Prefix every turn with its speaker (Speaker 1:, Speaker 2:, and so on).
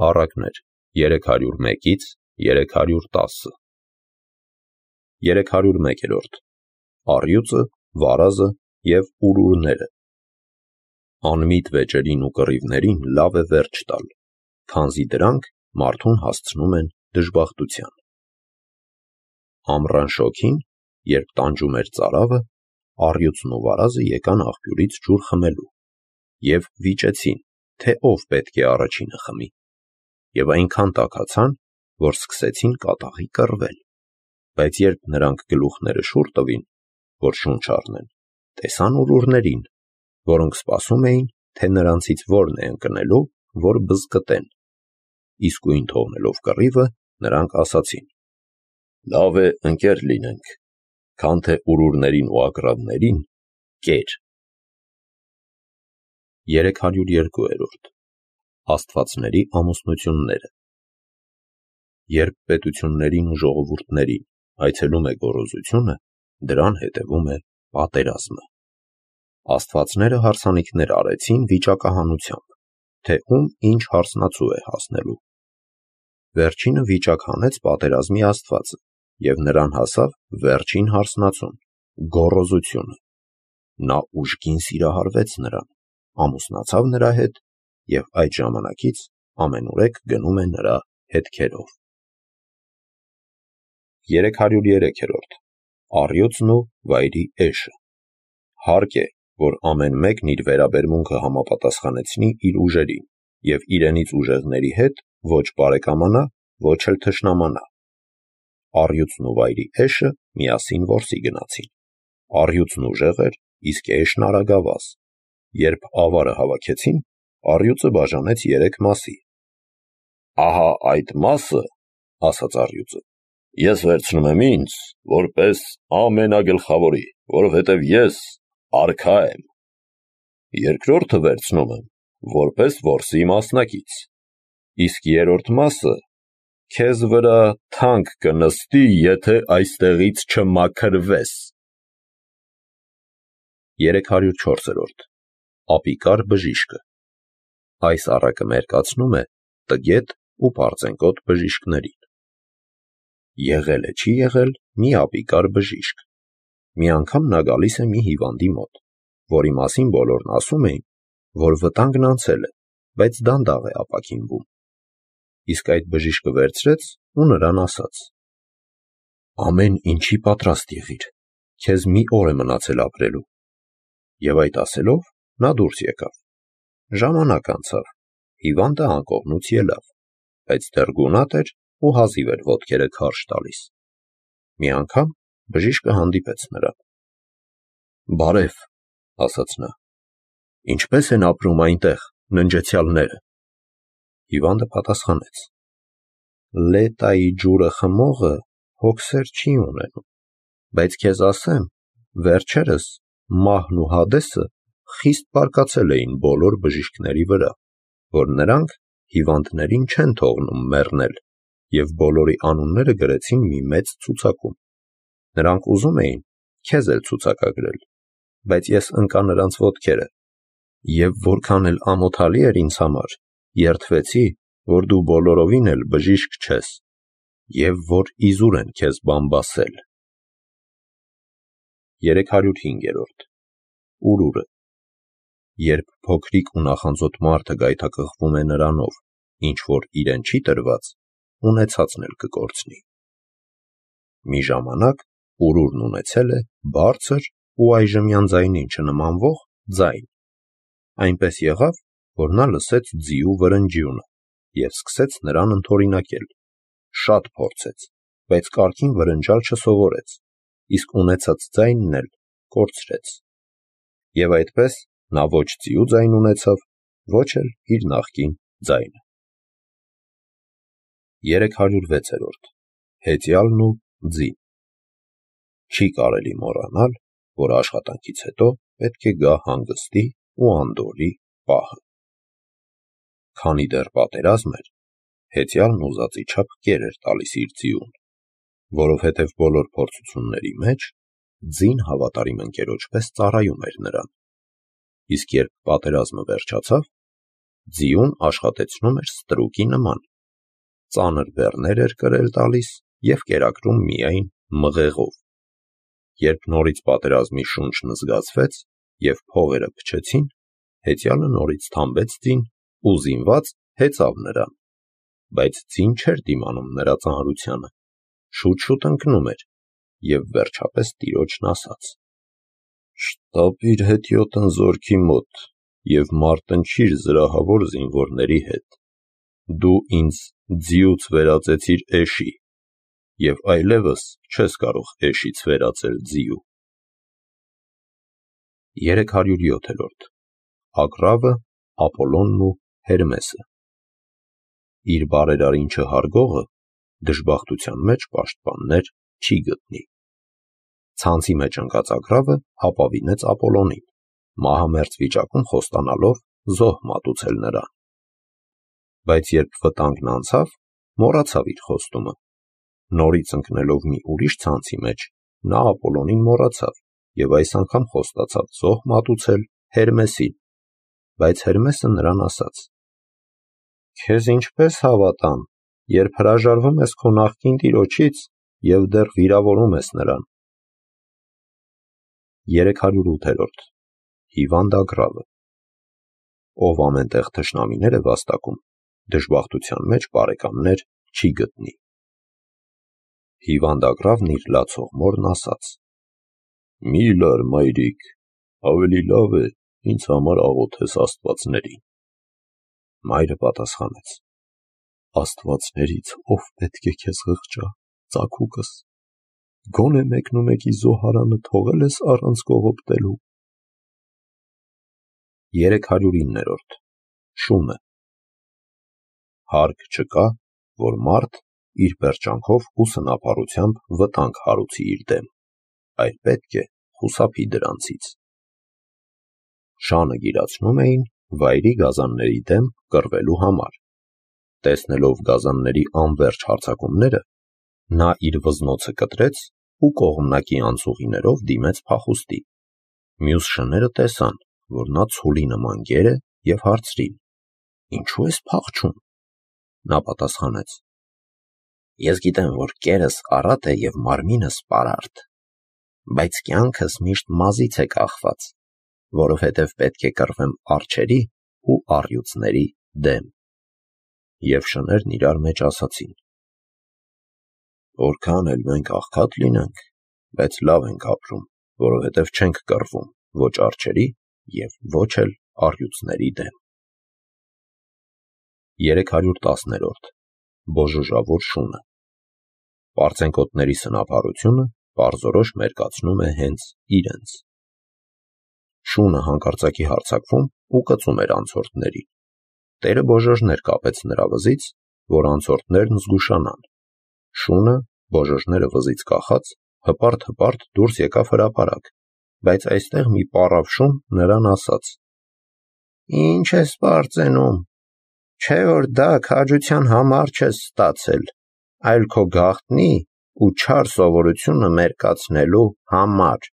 Speaker 1: Առակներ 301-ից 310։ 301-րդ Առյուծը, վարազը և ուրուրները։ Անմիտ վեճերին ու կռիվներին լավ է վերջ տալ, քանզի դրանք մարդուն հասցնում են դժբախտության։ Ամռան շոգին, երբ տանջում էր ծարավը, առյուծն ու վարազը եկան աղբյուրից ջուր խմելու և վիճեցին, թե ով պետք է առաջինը խմի, և այնքան տաքացան, որ սկսեցին կատաղի կռվել, բայց երբ նրանք գլուխները շուռ տվին, որ շունչ առնեն, տեսան ուրուրներին, որոնք սպասում էին, թե նրանցից որն է ընկնելու, որ բզկտեն, իսկույն թողնելով կռիվը, նրանք ասացին. «Լավ է ընկեր լինենք, քան թե ուրուրներին ու ագռավներին կեր»։ 302-րդ Աստվածների ամուսնությունները։ Երբ պետություններին ու ժողովուրդներին այցելում է գոռոզությունը, դրան հետևում է պատերազմը։ Աստվածները հարսանիքներ արեցին վիճակահանությամբ, թե ում ինչ հարսնացու է հասնելու։ Վերջինը վիճակ հանեց պատերազմի Աստվածը, և նրան հասավ վերջին հարսնացուն՝ գոռոզությունը։ Նա ուժգին սիրահարվեց նրան, ամուսնացավ նրա հետ և այդ ժամանակից ամենուրեք գնում է նրա հետքերով։ 303-րդ Առյուծն ու վայրի էշը։ Հարկ է, որ ամեն մեկն իր վերաբերմունքը համապատասխանեցնի իր ուժերին և իրենից ուժեղների հետ ոչ բարեկամանա, ոչ էլ թշնամանա։ Առյուծն ու վայրի էշը միասին որսի գնացին։ Առյուծն ուժեղ էր, իսկ էշն արագավազ։ Երբ ավարը հավաքեցին, առյուծը բաժանեց 3 մասի։ «Ահա այդ մասը, — ասաց առյուծը, — ես վերցնում եմ ինձ, որպես ամենագլխավորի, որովհետև ես արքա եմ. երկրորդը վերցնում եմ, որպես որսի մասնակից, իսկ երրորդ մասը քեզ վրա թանկ կնստի, եթե այստեղից չմաքրվես»։ 304-րդ Ապիկար բժիշկը։ Այս առակը մերկացնում է տգետ ու պարծենկոտ բժիշկներին։ Եղել է չի եղել մի ապիկար բժիշկ։ Մի անգամ նա գալիս է մի հիվանդի մոտ, որի մասին բոլորն ասում էին, որ վտանգն անցել է, բայց դանդաղ է ապաքինվում։ Իսկ այդ բժիշկը վերցրեց ու նրան ասաց. «Ամեն ինչի պատրաստ եղիր, քեզ մի օր է մնացել ապրելու»։ Եվ այդ ասելով, նա դուրս եկավ։ Ժամանակ անցավ, հիվանդը անկողնուց ելավ, բայց դեռ գունատ էր ու հազիվ էր ոտքերը քարշ տալիս։ Մի անգամ բժիշկը հանդիպեց նրան։ «Բարև», — ասաց նա, «ինչպե՞ս են ապրում այնտեղ ննջեցյալները»։ Հիվանդը պատասխանեց. «Լետայի ջուրը խմողը հոգսեր չի ունենում, բայց քեզ ասեմ, վերջերս մահն ու Հադեսը խիստ բարկացել էին բոլոր բժիշկների վրա, որ նրանք հիվանդներին չեն թողնում մեռնել և բոլորի անունները գրեցին մի մեծ ցուցակում։ Նրանք ուզում էին քեզ էլ ցուցակագրել, բայց ես ընկա նրանց ոտքերը, և որքան էլ ամոթալի էր ինձ համար, երդվեցի, որ դու բոլորովին էլ բժիշկ չես, և որ իզուր են քեզ բամբասել»։ 305-րդ Ուրուրը։ Երբ փոքրիկ ու նախանձոտ մարդը գայթակղվում է նրանով, ինչ որ իրեն չի տրված, ունեցածն էլ կկորցնի։ Մի ժամանակ ուրուրն ունեցել է բարձր ու այժմյան ձայնին չնմանվող ձայն։ Այնպես եղավ, որ նա լսեց ձիու վրնջյունը և սկսեց նրան ընդօրինակել։ Շատ փորձեց, բայց կարգին վրնջալ չսովորեց, իսկ ունեցած ձայնն էլ կորցրեց։ Եվ այդպես նա ոչ ձիու ձայն ունեցավ, ոչ էլ իր նախկին ձայնը։ 306-րդ Հեծյալն ու ձին։ Չի կարելի մոռանալ, որ աշխատանքից հետո պետք է գա հանգստի ու անդորրի պահը։ Քանի դեռ պատերազմ էր, հեծյալն ուզածի չափ կեր էր տալիս իր ձիուն, որովհետև բոլոր փորձությունների մեջ ձին հավատարիմ ընկերոջ պես ծառայում էր նրան։ Իսկ երբ պատերազմը վերջացավ, ձիուն աշխատեցնում էր ստրուկի նման, ծանր բեռներ էր կրել տալիս և կերակրում միայն մղեղով։ Երբ նորից պատերազմի շունչն զգացվեց և փողերը փչեցին, հեծյալը նորից թամբեց ձին ու զինված հեծավ նրան, բայց ձին չէր դիմանում նրա ծանրությանը, շուտ-շուտ ընկնում էր և վերջապես տիրոջն ասաց. «Շտապիր հետիոտն զորքի մոտ և մարտնչիր զրահավոր զինվորների հետ, դու ինձ ձիուց վերածեցիր էշի և այլևս չես կարող էշից վերածել ձիու»։ 307-րդ Ագռավը, Ապոլոնն ու Հերմեսը։ Իր բարերարին չհարգողը դժբախտության մեջ պաշտպաններ չի գտնի։ Ցանցի մեջ ընկած Ագռավը ապավինեց Ապոլոնին, մահամերձ վիճակում խոստանալով զոհ մատուցել նրան։ Բայց երբ վտանգն անցավ, մոռացավ իր խոստումը։ Նորից ընկնելով մի ուրիշ ցանցի մեջ, նա Ապոլոնին մոռացավ և այս անգամ խոստացավ զոհ մատուցել Հերմեսին, բայց Հերմեսը նրան ասաց. «Քեզ ինչպես հավատամ, երբ հրաժարվում ես քո նախկին տիրոջից և դեռ վիրավորում ես նրան»։ 308-րդ Հիվանդ Ագռավը։ Ով ամենտեղ թշնամիներ է վաստակում, դժբախտության մեջ բարեկամներ չի գտնի։ Հիվանդ Ագռավն իր լացող մորն ասաց. «Մի լար, մայրիկ, ավելի լավ է ինձ համար աղոթես աստվածներին»։ Մայրը պատասխանեց. «Աստվածներից ով պետք է քեզ ղղճա, ծագուկս, գոնե մեկնումեկի զոհարանը թողել ես առանց կողոպտելու»։ 309-րդ Շունը։ Հարկ չկա, որ մարդ իր պերճանքով ու սնապառությամբ վտանգ հարուցի իր դեմ, այլ պետք է խուսափի դրանցից։ Շանը գիրացնում էին վայրի գազանների դեմ կռվելու համար։ Տեսնելով գազանների անվերջ հարձակումները, նա իր վզնոցը կտրեց ու կողմնակի անցուղիներով դիմեց փախուստի։ Մյուս շները տեսան, որ նա ցուլի նման գեր է և հարցրին. «Ինչո՞ւ ես փախչում»։ Նա պատասխանեց. «Ես գիտեմ, որ կերս առատ է և մարմինս պարարտ, բայց կյանքս միշտ մազից է կախված, որովհետև պետք է կռվեմ արջերի ու առյուծների դեմ»։ Եվ շներն իրար մեջ ասացին. «Որքան էլ մենք աղքատ լինենք, բայց լավ ենք ապրում, որովհետև չենք կռվում ոչ արջերի և ոչ էլ առյուծների դեմ»։ 310-րդ Բոժոժավոր շունը։ Պարծենկոտների սնապառությունը պարզորոշ մերկացնում է հենց իրենց։ Շունը հանկարծակի հարձակվում ու կծում էր անցորդներին։ Տերը բոժոժներ կապեց նրա վզից, որ անցորդներն զգուշանան։ Շունը, բոժոժները վզից կախած, հպարտ-հպարտ դուրս եկավ հրապարակ, բայց այստեղ մի պառավ շուն նրան ասաց. «Ինչ ես պարծենում, չէ՞ որ դա քաջության համար չես ստացել, այլ քո գաղտնի ու չար սովորությունը մերկացնելու համար»։